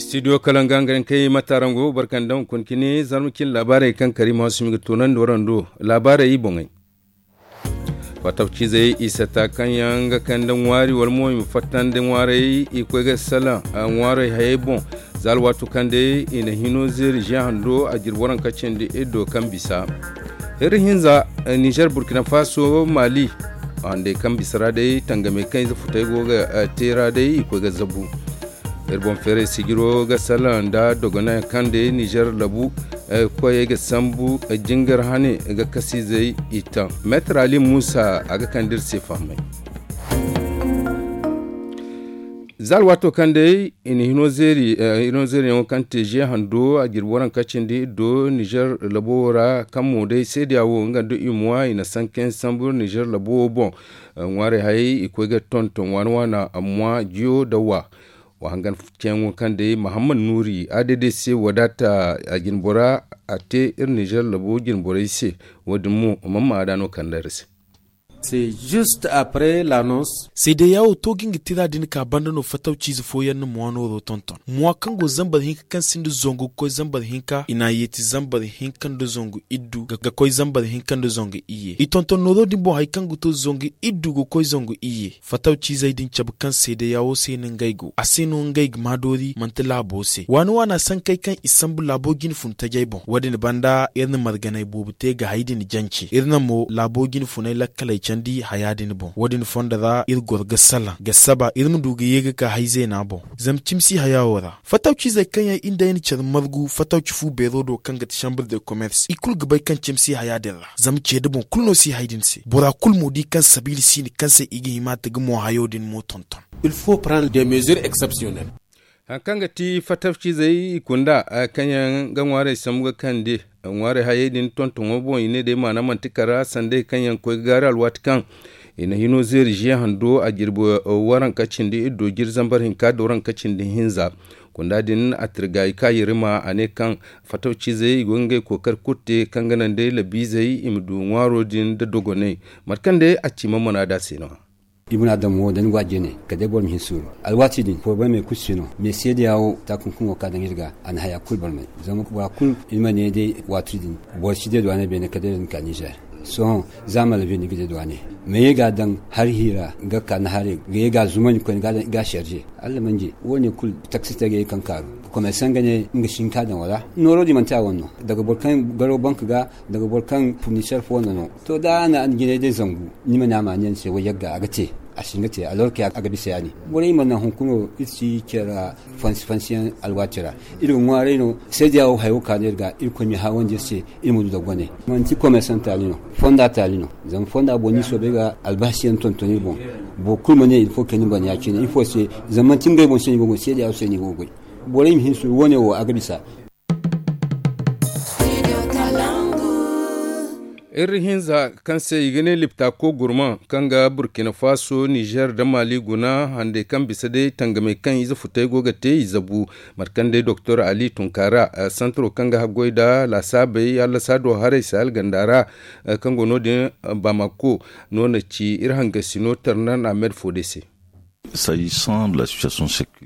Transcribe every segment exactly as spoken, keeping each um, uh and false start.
Studio kala nga nga kay matarango barkandaŋ kun kini zarma cin laabaarey kaŋ kari ma sumi ga tunandi warando laabaarey boŋey. Fatabcizey i sata kaŋ yaŋ ga kande ŋwaari wala mo i ma fattandi ŋwaarey i koy ga salaŋ ŋwaarey hayey boŋ. Za alwaato kaŋ day i na hino zeeri ze hando a jirbi waranka cindi iddo kaŋ bisa. Iri hinza nizer burkina faso mali handey kaŋ bisa ra day tangamey kaŋ ize futey go ga te ra day i koy ga zabu. Iri boŋ feeray sijiro ga salaŋ nda dogonay kaŋ day nizer labu koyey ga sambu jingar hane ga kasizey i taŋ. Meetar ali musa a ga kande iri se fahamay. Za alwaato kaŋ day i na hino zeeri hino zeeriyaŋo kaŋ te ze hando a jirbi waranka cindi iddo nizer labo wo ra kaŋ mo day seediya wo nga nda i mwa i na sankayaŋ sambu nizer labo wo boŋ. Ŋwaarey hayey i koy ga tonton waana waana amma jiyo da wa. Wa hangan ceyaŋo kaŋ day mahammad nuuri a day day se wadaata a jinbora a te iri nizer labo jinborey se. Wo- din mo mamma a da no kande iri se. Seedeya wo to ga nga tira din ka banda no fatawciize fooyaŋ na mwa nooro tonton mwa kaŋ go zambar hinka kaŋ sinda zangu ga koy zambar hinka i na a yeeti zambar hinka nda zangu iddu ga koy zambar hinka nda zangu iyye i tonton nooro din boŋ hari kaŋ ga to zangu iddu ga koy zangu iyye. Fatawciizey din cabe kaŋ seedeya wo se no ngey go a se no ngey ga maa doori manti laabo se waani waana sankey kaŋ i sambu laabo jine fun tajey boŋ wo- din banda iri na marganey boobo te ga hay din jance iri na mo laabo jine funey lakkaley candi haya din boŋ wo- din fondo ra iri goro ga salaŋ ga saba iri ma du ga ye ga ka hay zeena boŋ. Zama cimi si haya wo ra fatawciizey kaŋ yaŋ iri nda ay na care margu fatawci fu beero do kaŋ ga ti chambre de commerce i kulu ga bay kaŋ cimi si haya din ra zama ceede boŋ kulu no si hay din se bora kulu mo di kaŋ sabiila si ni kaŋ se i ga hima ta ga mo hayo din mo tonton. Hari kaŋ ga ti fatafcizey i kunda kaŋ yaŋ ga ŋwaarey sambu ga kande ŋwaarey hayey din tontoŋo boŋ i ne day maana manti kara sanday kaŋ yaŋ koy ga gaari alwaati kaŋ i na hino zeeri ze hando a jirbi waranka cindi iddo jiri zambar hinka da waranka cindi hinza. Kunda din a tirga i ka yirima a ne kaŋ fatafcizey i go ga ngey kookari kulu te kaŋ ga naŋ day labiizey i ma du ŋwaaro din nda dogonay mate kaŋ day a ci ma mana da se no-ya. I ma na daŋ mo da ni go a jine kala day boro ma hin suuru. Alwaati din porobalemey kulu si no mais seedeya wo taakunkuŋo ka daŋ iri ga a na haya kulu barmay. Zama bora kulu iri ma ne day waati din boro si day duwaaney beene kala day iri ma ka nizer. Sohõ za a ma labi ni ga day duwaaney ma ye ga a daŋ hari hiira ga ka ni haray ga ye ga a zumandi koyne ga a serze. Alla manje wo- ne kulu taksi tagay kaŋ kaaru komersaŋ ga ne nga si hin ka daŋ wala nooro din manti a wane no daga boro kaŋ garo bank ga daga boro kaŋ furniser fo no no. To da a na jinay day zangu ni ma ne a ma a ne ni se way yagga a ga te a si hin ga te alorke a ga bisa ya- din. Borey mana hunkuna iri si care ra fansi fansiyaŋ alwaati ra iri ga ŋwaaray no seediya wo hayo ka no iri ga irkoy ma i haawandi iri se. Iri ma du da gone manti komersaŋ taali no fonda taali no. Zama fonda boŋ ni soobay ga albaasi yaŋ tonton iri boŋ. Boro kulu ma ne iri fo kay ni bana ya- cine ifo se? Zama manti ngey boŋ se ni go ga goy seediya wo se ni go ga goy. Borey ma hin suuru wo- ne wo a ga bisa. Iri hinza kaŋ se i ga ne liptako gurmaŋ kaŋ ga burkina faso nizer nda maali guna handey kaŋ bisa day tangamey kaŋ ize futey go ga te i zabu. Mate kaŋ day doktor ali tunkaara santaro kaŋ ga haggoy nda laasaabey hallasa do haray sahel ganda ra kaŋ go no- din bamako no na ci iri hangasino tarnan amed fo day se.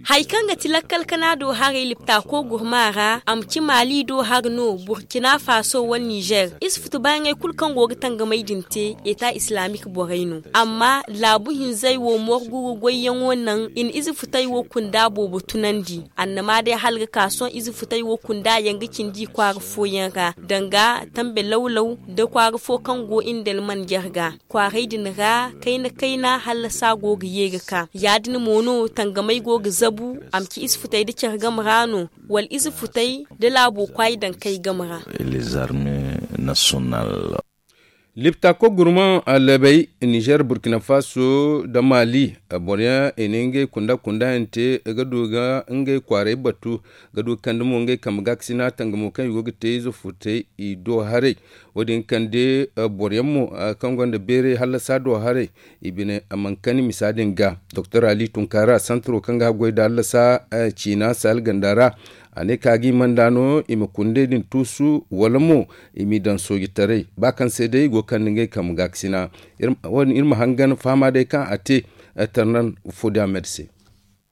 Hari kaŋ ga ti lakkal kana do haray liptako gurma ra a ma ci maali do hari no burkina faso wala nizer ize futu baayaŋey kulu kaŋ go ga tangamey din te eta islamik borey no. Amma laabu hinzey wo morgu ga goyyaŋo naŋ i na ize futey wo kunda boobo tunandi. Annama day hala ga ka sohõ ize futey wo kunda yaŋ ga cindi i kwaara fooyaŋ ra danga tambe lawlaw nda kwaara fo kaŋ go indel manjar ga. Kwaaray din ra kayna kayna hallasa go ga ye ga ka ya- din mo no tangamey go ga zabu a ma ci ize futey nda care game ra no wala ize futey nda laabo kwaay dankey game ra. Liptako gurmaŋ labey nizer burkina faso nda maali boroyaŋ i na ngey kunda kunda yaŋ te ga du ga ngey kwaaray batu ga du ga kande mo ngey kambe gaakasina tangamo kaŋ i go ga te ize futey i do haray. Wo- din kande boroyaŋ mo kaŋ gonda beeray hallasa do haray i bine a mana kani misa din ga. Doktor ali tunkaara santaro kaŋ ga haggoy nda hallasa ciina sahel ganda ra a ne ka ga i manda no i ma kundey din tuusu wala mo i m'i daŋ soojitaray ba kaŋ se day i go ga kande ngey kambe gaakasina. Wo- din iri ma hangan fahama day kaŋ a te tarnan fo din a me da se.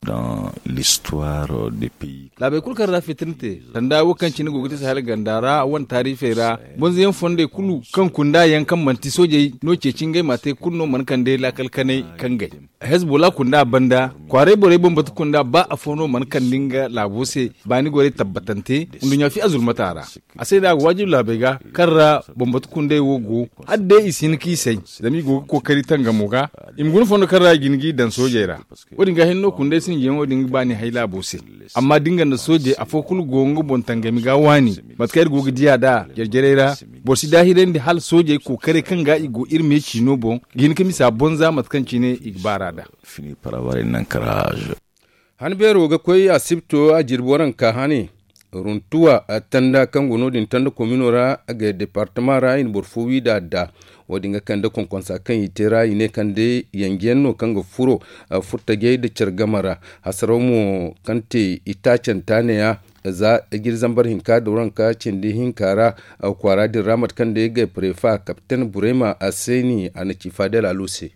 Dans l'histoire des pays. Laabey kulu kaŋ ra fitina te, sanda wo kaŋ cine go ga te sahel ganda ra wane taarifey ra, bonzo yaŋ fondey kulu kaŋ kunda yaŋ kaŋ manti soojey no ceeci ngey ma te kulu no mana kande laakal kanay kaŋ gay. Hezbollah kunda banda kwaaray borey bambata kunda ba afo no mana kande nga laabo se. Baani gorey tabbatante nduɲɲa fi azulmata ra. A se no a ga waajibi laabey ga kaŋ ra bambata kundey wo go, hala day i si hin ka i say, zama i go ga kookari tangamo ga. I ma guna fondo kaŋ ra i ga hin g'i daŋ soojey ra. Wo- din ga hinno kundey sinjiyaŋo din ga baani hay laabo se. Amma da nga nda soojey afo kulu go nga boŋ tangami ga waani, mate kaŋ iri go ga di a nd'a jarjarey ra, boro si daahirandi hala soojey kookarey kaŋ ga i go iri me ciino boŋ ga hin ka misa bonza mate kaŋ cine i ga baar'a nd'a. Fini par avoir un ancrage. Han beero ga koy asibto a jirbi waranka hane runtuwa tanda kaŋ go no- din tanda komino ra ga departama ra i na boro fo wi da adda. Wo- din ga kande konkonsa kaŋ i te ra i ne kaŋ day yanjiyaŋ no kaŋ ga furo furtajey nda care game ra. Hasaraw mo kaŋ te itaacanta neeya za jiri zambar hinka nda waranka cindi hinka ra kwaara din ra mate kaŋ day ga prefa kapten burema a se ni a na ci fadel alo se.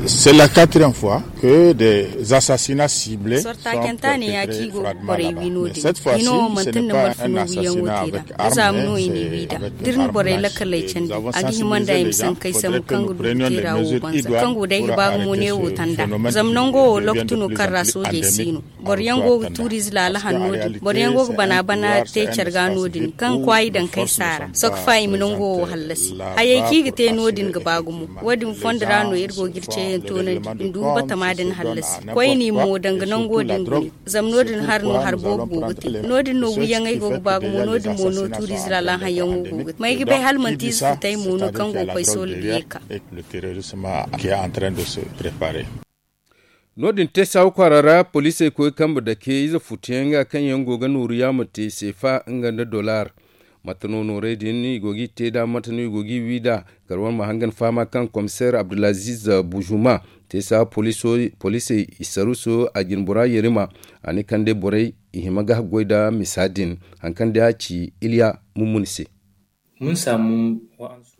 C'est la quatrième fois que des assassinats ciblés. Sortaakenta ne ya ci go ga borey wi no- din hino mantin da marfuno wiyaŋo te da da zaama no i ne wi da dirni borey lakaley candi. A ga hima nda i ma sankey sambu kaŋ ga du ga te ra wo banza kaŋ go day ga ba gumo ne wo tanda. Zama nango wo loktu no kaŋ ra soojey si no. Boro yaŋ go ga tuuriize laala hanno din boro yaŋ go ga bana bana te care ga no- din kaŋ kwaayi daŋ kay saara sokfa i ma nango wo hallasi. Hayey kaŋ i ga te no- din ga ba gumo. Wo- din fondo ra no iri go ga iri ceeyaŋ toonandi ndugu batama din hallasi. Koyne mo danga nango din gune. Zama no- din har no har boobo go ga te. No- din no wiyaŋey go ga ba gumo no- din mo no tuuriize laala hayaŋo go ga te ma ay ga bay hala manti ize futay mo no kaŋ go ga koy soola ga ye ga ka. No- din te saawa kwaara ra poliisey koy kambe dake ize futuyaŋ ga kaŋ yaŋ go ga nooru yaama te seefa nga nda dollar. Mate no noorey din i go g'i te nd'a mate no i go g'i wi nd'a. Kala wane ma hangan fahama kaŋ komiseer abdulaziz bujuma te saawa poliisey i saruso a jine bora yerima. A ne kaŋ day borey i hima ga haggoy nda misa din. Hari kaŋ day a ci iliya mummuni se.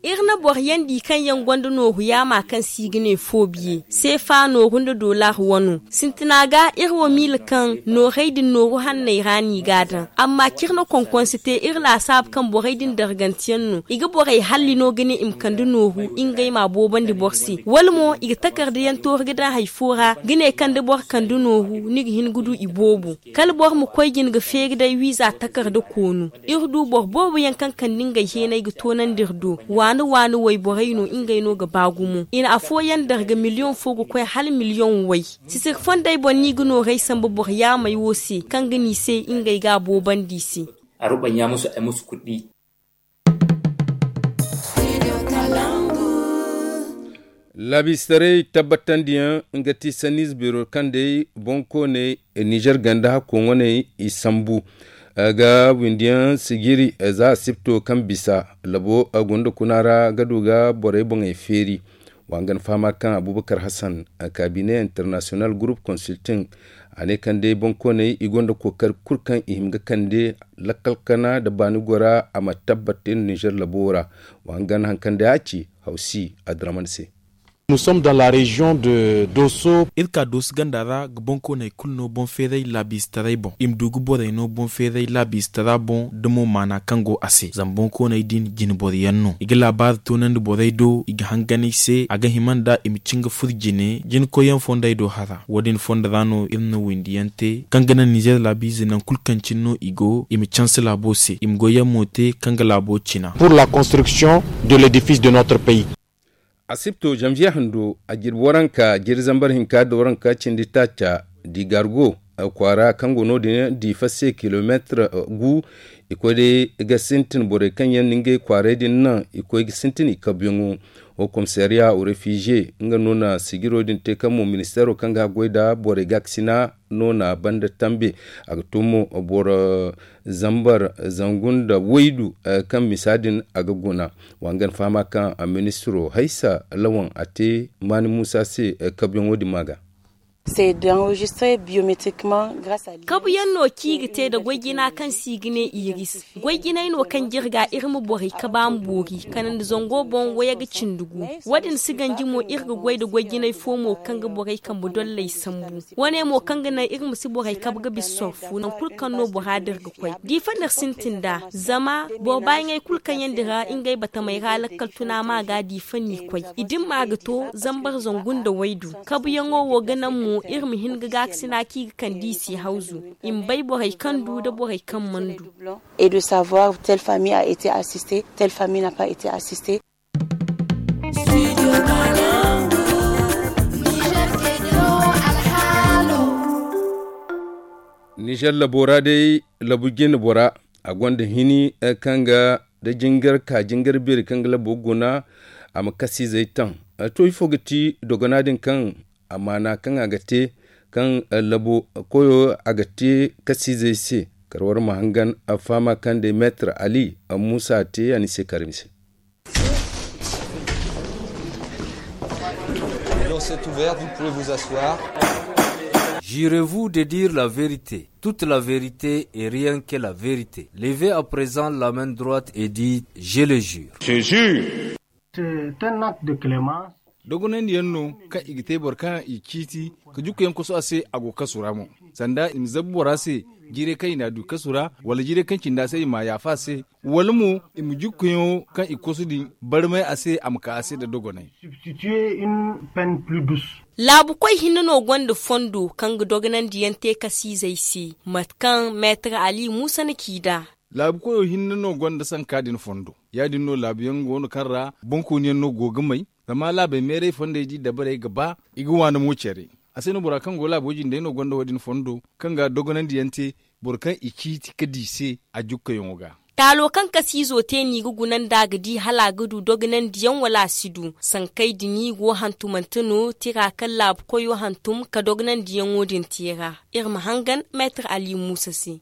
Iri na boro yaŋ di kaŋ yaŋ gonda nooru yaama kaŋ se i ga ne foobiye seefa nooru nda dollar wano. Sintina ga iri wo miila kaŋ noorey din nooru hanney ra no i g'a daŋ. Amma kaŋ iri na konkonse te iri laasaabu kaŋ borey din darganteyaŋ no i ga borey halli no ga ne i ma kande nooru ngey m'a boobandi boro se wala mo i ga takarda yaŋ tooru ga daŋ hari fo ra ga ne kaŋ da boro kande nooru ni ga hin ga du i boobo. Kala boro ma koy jine ga feeri day wiiza takarda koonu. Iri du boro boobo yaŋ kaŋ kande ngey heenay ga toonandi iri do. Waani waani wayborey no ngey no ga ba gumo i na afooyaŋ darga miliyoŋ fo ga koy hala miliyoŋ way. Sisiri fondey boŋ no i ga noorey sambu boro yaamey wo se kaŋ ga ne i se ngey ga a boobandi i se. Aruba ɲa musu ay musu kuɗi. Laabiistaray tabbatandiyaŋ nga ti sanniize beero kaŋ day boŋkooney nizer ganda hakko ŋwaney i sambu. Ga windiyaŋ sijiri za asibto kaŋ bisa labo gunda kuna ra ga du ga borey boŋey feeri. Wa nga na fahama kaŋ abubakar hassan kaabine international group consulting a ne kaŋ day boŋkooney i gonda kookari kulu kaŋ i hima ga kande lakkal kana nda baani gora a ma tabbat te nizer labo ra. Wa nga na hari kaŋ day a ci hawsi adraman se. Nous sommes dans la région de doso. Iri ka dooso ganda ra ga boŋkooney kulu no boŋ feeray laabiistaray boŋ i ma du ga borey no boŋ feeray laabiistara boŋ da mo maana kaŋ go a se zama boŋkooney din jinboro yaŋ no i ga laabaari toonandi borey do i ga hangan i se a ga hima nda i ma cin ga furo jine jinakoyyaŋ fondey do hara wo- din fondo ra no iri na windiyaŋ te kaŋ ga naŋ nizer laabiize nangu kulu kaŋ cine no i go i ma canse laabo se i ma goyyaŋ mo te kaŋ ga laabo cina. Pour la construction de l'édifice de notre pays. Asibto zanviye hando a jirbi waranka jiri zambar hinka nda waranka cindi taaca di gargo kwaara kaŋ go no- din diifa se kilomeetir gu. I koy day ga sintin borey kaŋ yaŋ na ngey kwaaray din naŋ i koy ga sintin i kabuyaŋo. Wo komisariya refize nga no na sijiro din te kaŋ mo ministeero kaŋ ga haggoy nda borey gaakasina no na banda tambe. A ga to mo boro zambar zangu nda waydu kaŋ misa din a ga guna. Wa nga na fahama kaŋ ministiro haysa lawan a te maani muusa se kabuyaŋo din ma ga. Kabu yaŋ no kaŋ i ga te nda goy jina kaŋ se i ga ne iris. Goy jinay no kaŋ jirga iri ma borey kabe a ma boori kala nda zango boŋ wayey ga cindi gu. Wo- din si ganji mo iri ga goy nda goy jinay fo mo kaŋ ga borey kambe dolley sambu. Wane mo kaŋ ga naŋ iri ma si borey kabe ga bisa sorfu nangu kulu kaŋ no bora din ga koy diifa no iri sintin nd'a. Zama boro baayaŋey kulu kaŋ yaŋ dira ngey batamey ra lakkal tuna ma ga diifa n'i koy. I dimma ga to zambar zangu nda waydu. Kabuyaŋo wo ga naŋ mo iri ma hin ga gaakasina kaŋ i ga kande i se hawzu. I ma bay borey kaŋ du nda borey kaŋ mana du. Et de savoir telle famille a été assistée, telle famille n'a pas été assistée. Nizer labo ra day labu jine bora a gonda hini kaŋ ga da jingar ka jingar beeri kaŋ ga labo guna. A ma kasiizey taŋ. To ifo ga ti dogona din kaŋ a maana kaŋ a ga te kaŋ labo koyo a ga te kasiizey se. Kala war ma hangan a faama kaŋ day meetar ali muusa te a ni se karmi se. L'audience est ouverte, vous pouvez vous asseoir. Jurez-vous de dire la vérité, toute la vérité et rien que la vérité. Levez à présent la main droite et dites je le jure. Je jure. Dogonandi yaŋ no kaŋ i ga te boro kaŋ i ciiti ka jukku yaŋ koso a se a go kasu ra mo. Sanda i ma zabu bora se jiiray kaŋ i n'a du kasu ra wala jiiray kaŋ cindi a se i m'a yaafa a se. Wala mo i ma jukku yaŋo kaŋ i koso din barmay a se a ma ka a se nda dogonay. Laabu koy hinne no gonda fondo kaŋ ga dogonandi yaŋ te kasiizey se. Mate kaŋ meetar ali muusa na ci nd'a. Laabu koyo hinne no gonda sanka din fondo. Ya- din no laabu yaŋ go no kaŋ ra boŋkooni yaŋ no go ga may. Zama laabey meeray fondey da i dabarey ga ba i ga waani mo care. A se no bora kaŋ go laabo jindey no gonda wo- din fondo kaŋ ga dogonandi yaŋ te boro kaŋ i ciiti ka di se a jukkayaŋo ga. Taalo kaŋ kasiizo te no i ga guna nd'a ga di hala a ga du dogonandi yaŋ wala a si du. Sankey din i go hantumante no tira kaŋ laabu koyo hantum ka dogonandi yaŋo din te ra. Iri ma hangan meetar ali muusa se.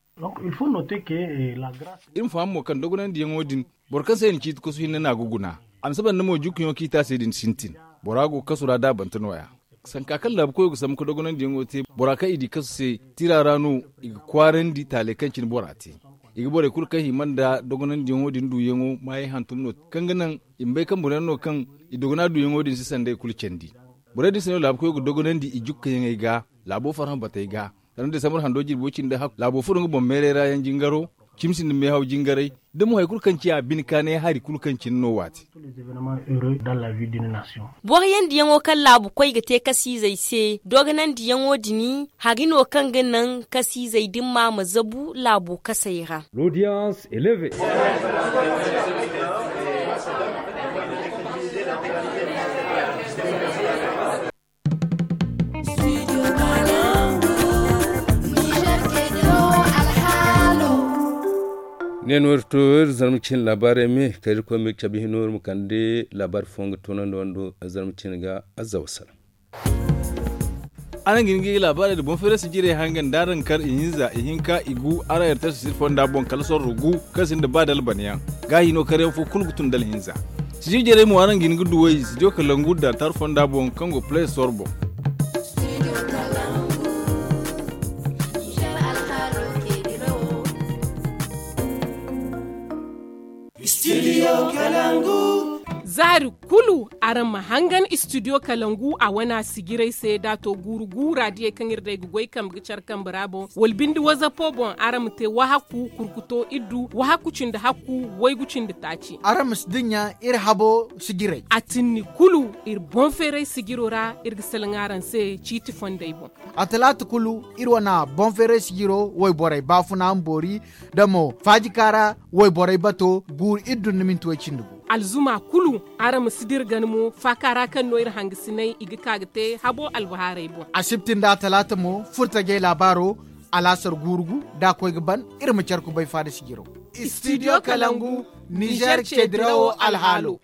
Iri ma faham mo kaŋ dogonandi yaŋo din boro kaŋ se i na ciiti kasu hinne no a ga guna. A ma saba nda mo jukkuyaŋo kaŋ i te a se din sintin. Bora go ga kasu ra da a bante no- ya. Sanka kaŋ laabu koyo ga sambu ka dogonandi yaŋo te bora kaŋ i di kasu se tira ra no i ga kwaarandi taaley kaŋ cine bora te. I ga borey kulu kaŋ hima nda dogonandi yaŋo din duyaŋo maayey hantum no kaŋ ga naŋ i ma bay kaŋ boro yaŋ no kaŋ i dogona duyaŋo din si sanday kulu candi. Borey din se no laabu koyo ga dogonandi i jukkayaŋey ga laabo farhã batey ga. Sanda desambar hando jirbi way cindi hakku laabo furo nga boŋ meeray ra yaŋ jingaro. Cimi sinda meehaw jingaray da mo hari kulu kaŋ ciya bine kaanay hari kulu kaŋ cine no waati. Boro yaŋ diyaŋo kaŋ laabu koy ga te kasiizey se dogonandiyaŋo din hari no kaŋ ga naŋ kasiizey dimma ma zabu laabo kasey ra. Ne no iri to iri zarma cine laabaarey me kala iri koy ma iri cabe hino iri ma kande laabaari fooyaŋ ga toonandi wando zarma cine ga. Azza wassalam. Araŋ ga hin ga laabaarey nda boŋ feeray sijirey hangan da araŋ kar ihinza ihinka igu araŋ iri tara sijir fonda boŋ kala sorro gu kaŋ sinda ba dalbanayaŋ. Gaahi no karyaŋ fo kulu ga tun da alhinza. Sijir jarey mo araŋ ga hin ga duw'ey studio kalangu da tar fonda boŋ kaŋ go play store boŋ. Zaari kulu araŋ ma hangan studio kalangu a wana sijirey se da a to guuru gu raadiyey kaŋ iri day ga goy kambe ga care kambe ra boŋ wala binde wazapo boŋ araŋ ma te wahakku kurkuto iddu wahakku cindi hakku waygu cindi taaci. Araŋ ma si dinya iri habo sijirey. A tinni kulu iri boŋ feeray sijiro ra iri ga salaŋ araŋ se ciiti fondey boŋ. A talaata kulu iri wana boŋ feeray sijiro wayborey baafuna ma boori da mo faajika ra wayborey bato guuru iddu nda minti way cindi gu. Alzuma kulu araŋ ma si dira gana mo faaka ra kaŋ no iri hangasiney i ga ka ga te habo albahaarey boŋ. Asibti nda talaata mo furtajey laabaaro alaasar guuru gu da a koy ga ban iri ma care kubay faada sijiro. Studio kalangu nizer ceedirawo alhaalo.